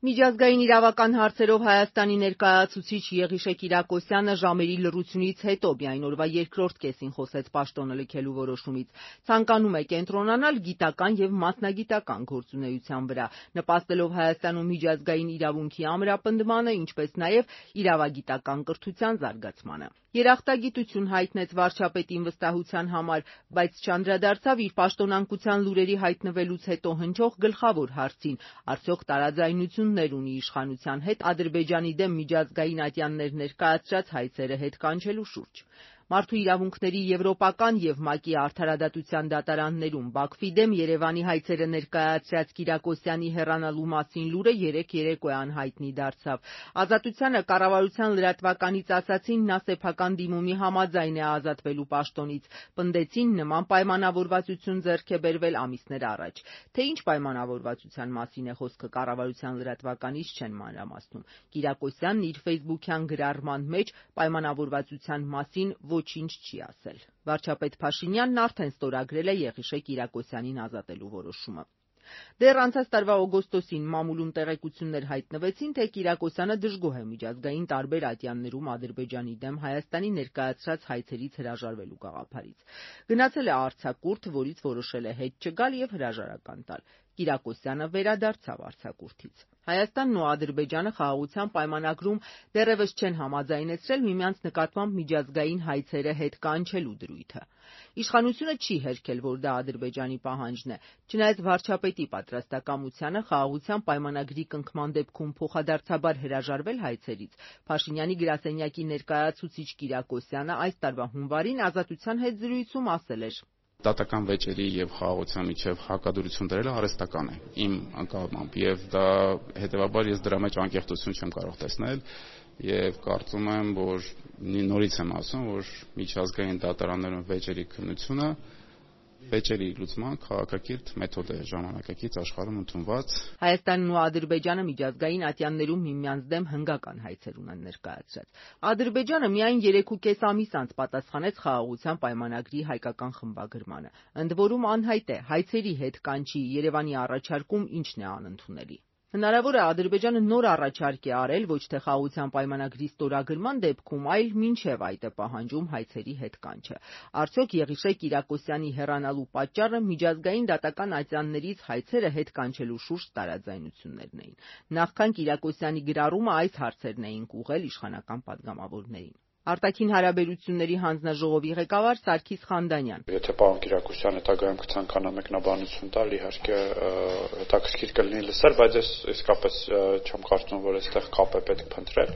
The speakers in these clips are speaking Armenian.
Միջազգային իրավական հարցերով Հայաստանի ներկայացուցիչ Եղիշե Կիրակոսյանը ժամերի լռությունից հետո միայն օրվա երկրորդ կեսին խոսեց պաշտոնը լքելու որոշումից։ Ցանկանում է կենտրոնանալ գիտական եւ մասնագիտական գործունեության վրա, նպաստելով Հայաստանում միջազգային իրավունքի ամրապնդմանը, ինչպես նաեւ իրավագիտական կրթության զարգացմանը։ Երախտագիտություն հայտնեց վարչապետին վստահության համար, բայց չանդրադարձավ իր պաշտոնանկության լուրերի հայտնվելուց հետո հնչող գլխավոր հարցին՝ արդյոք տարաձայնություններ ունի իշխանության հետ Ադրբեջանի դեմ միջազգային ատյաններ ներկայացրած հայցերը հետ կանչելու շուրջ։ Մարդու իրավունքների եվրոպական եւ ՄԱԿ-ի արդարադատության դատարաններում Բաքվի դեմ Երևանի հայցերը ներկայացրած Կիրակոսյանի հեռանալու մասին լուրը երեկ երեկոյան հայտնի դարձավ։ Ազատությանը կառավարության լրատվականից ասացին, նա սեփական դիմումի համաձայն է ազատվելու պաշտոնից։ Պնդեցին, նման պայմանավորվածություն ձեռք է բերվել ամիսներ առաջ։ Թե ինչ պայմանավորվածության մասին է խոսքը, կառավարության լրատվականից չեն մանրամասնում։ Կիրակոսյանն իր ֆեյսբուքյան գրառման մեջ պայմանավորվածության մասին ոչինչ չի ասել։ Վարչապետ Փաշինյանն արդեն ստորագրել է Եղիշե Կիրակոսյանին ազատելու որոշումը։ Դեռ անցած տարվա օգոստոսին մամուլում տեղեկություններ հայտնվեցին, թե Կիրակոսյանը դժգոհ է միջազգային տարբեր ատյաններում Ադրբեջանի դեմ Հայաստանի ներկայացրած հայցերից հրաժարվելու գաղափարից։ Գնացել է արձակուրդ, որից որոշել է հետ չգալ եւ հրաժարական տալ։ Կիրակոսյանը վերադարձավ արձակուրդից։ Հայաստանն ու Ադրբեջանը խաղաղության պայմանագրում դեռևս չեն համաձայնեցրել միմյանց նկատմամբ միջազգային հայցերը հետ կանչելու դրույթը։ Իշխանությունը չի հերքել, որ դա Ադրբեջանի պահանջն է։ Չնայած վարչապետի պատրաստակամությանը խաղաղության պայմանագրի կնքման դեպքում փոխադարձաբար հրաժարվել հայցերից, Փաշինյանի գրասենյակի ներկայացուցիչ Կիրակոսյանը այս տարվա հունվարին Ազատության հետ զրույցում ասել էր. Դատական վեճերի եւ խաղաղության միջև հակադրություն դրելը արհեստական է իմ անկալմամբ եւ դա հետեւաբար ես դրա մեջ անկեղծություն չեմ կարող տեսնել եւ կարծում եմ, որ նորից եմ ասում, որ միջազգային դատարաններում վեճերի քննությունը վեճերի լուծման քաղաքակիրթ մեթոդ է, ժամանակակից աշխարհում ընդունված։ Հայաստանն ու Ադրբեջանը միջազգային ատյաններում միմյանց դեմ հնգական հայցեր ունեն ներկայացրած։ Ադրբեջանը միայն 3.5 ամիս անց պատասխանեց խաղաղության պայմանագրի հայկական խմբագրմանը։ Ընդ որում անհայտ է հայցերի հետ կանչի Երևանի առաջարկում ինչն է անընդունելի։ Հնարավոր է Ադրբեջանը նոր առաջարկ է արել ոչ թե խաղաղության պայմանագրի ստորագրման դեպքում, այլ մինչև այդ է պահանջում հայցերի հետ կանչը։ Արդյոք Եղիշե Կիրակոսյանի հեռանալու պատճառը միջազգային դատական ատյաններից հայցերը հետ կանչելու շուրջ տարաձայնություններն էին։ Նախքան Կիրակոսյանի գրառումը այս հարցերն էին ուղղել իշխանական պատգամավորներին։ Արտաքին հարաբերությունների հանձնաժողովի ղեկավար Սարգիս Խանդանյան. Եթե պարոն Կիրակոսյանը հետագայում կցանկանա մեկնաբանություն տալ, իհարկե հետաքրքիր կլինի լսել, բայց ես իսկապես չեմ կարծում, որ այստեղ կապ է պետք փնտրել։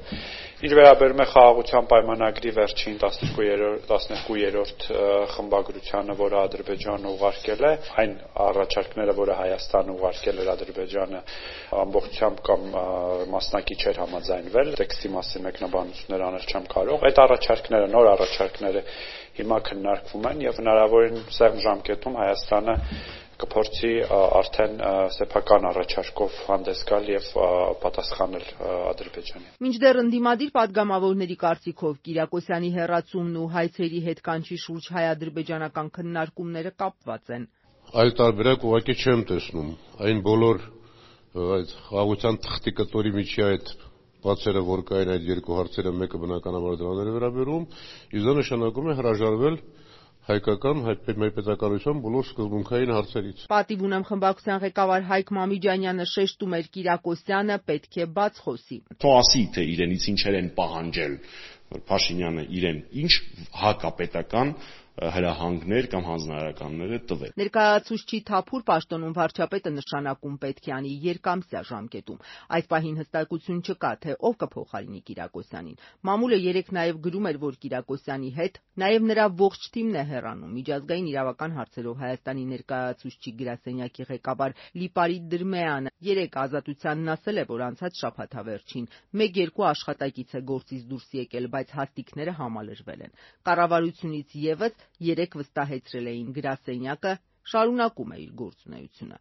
Իր վերաբերում է խաղաղության պայմանագրի վերջին 12-րդ խմբագրությանը, որը Ադրբեջանը ուղարկել է, այն առաջարկները, որը Հայաստանը ուղարկել էր Ադրբեջանը, ամբողջությամբ կամ մասնակի չէր համաձայնվել, տեքստի մասին մեկնաբանություններ անել չեմ կարող։ Այդ առաջարկները, նոր առաջարկները հիմա քննարկվում են եւ հնարավորին սեղմ ժամկետում Հայաստանը կփորձի արդեն սեփական առաջարկով հանդես գալ եւ պատասխանել Ադրբեջանին։ Մինչդեռ ընդդիմադիր падգամավորների կարծիքով Կիրակոսյանի հեռացումն ու հայցերի հետ կանչի շուրջ հայ-ադրբեջանական քննարկումները կապված են։ Այլ տարբերակ ուղղակի չեմ տեսնում։ Այն բոլոր այդ խաղաղության թղթի կտորի միջի այդ բացերը, որ կային այդ երկու հարցերը, մեկը բնականաբար դրաներ է վերաբերում, իսկ դա նշանակում է հրաժարվել հայկական մեր պետականության բոլոր սկզբունքային հարցերից։ Պատիվ ունեմ խմբակցության ղեկավար Հայկ Մամիջանյանը շեշտում էր Կիրակոսյանը պետք է բաց խոսի։ Թող ասի, թե իրենից ինչեր են պահանջել, որ Փաշինյանը իրեն ինչ հակապետական հրահանգներ կամ հանձնարարականներ է տվել։ Ներկայացուցչի թափուր պաշտոնում վարչապետը նշանակում պետք է անի երկամսյա ժամկետում։ Այս պահին հստակություն չկա, թե ով կփոխարինի Կիրակոսյանին։ Մամուլը երեկ նաև գրում էր, որ Կիրակոսյանի հետ նաև նրա ողջ թիմն է հեռանում։ Միջազգային իրավական հարցերով Հայաստանի ներկայացուցչի գրասենյակի ղեկավար Լիպարիտ Դրմեյանը երեկ Ազատությանն ասել է, որ անցած շաբաթավերջին 1-2 աշխատակից է գործից դուրս եկել, բայց հաստիքները համալրվել են։ Կառավարությունից եւս երեկ վստահեցրել էին գրասենյակը շարունակում է իր գործունեությունը։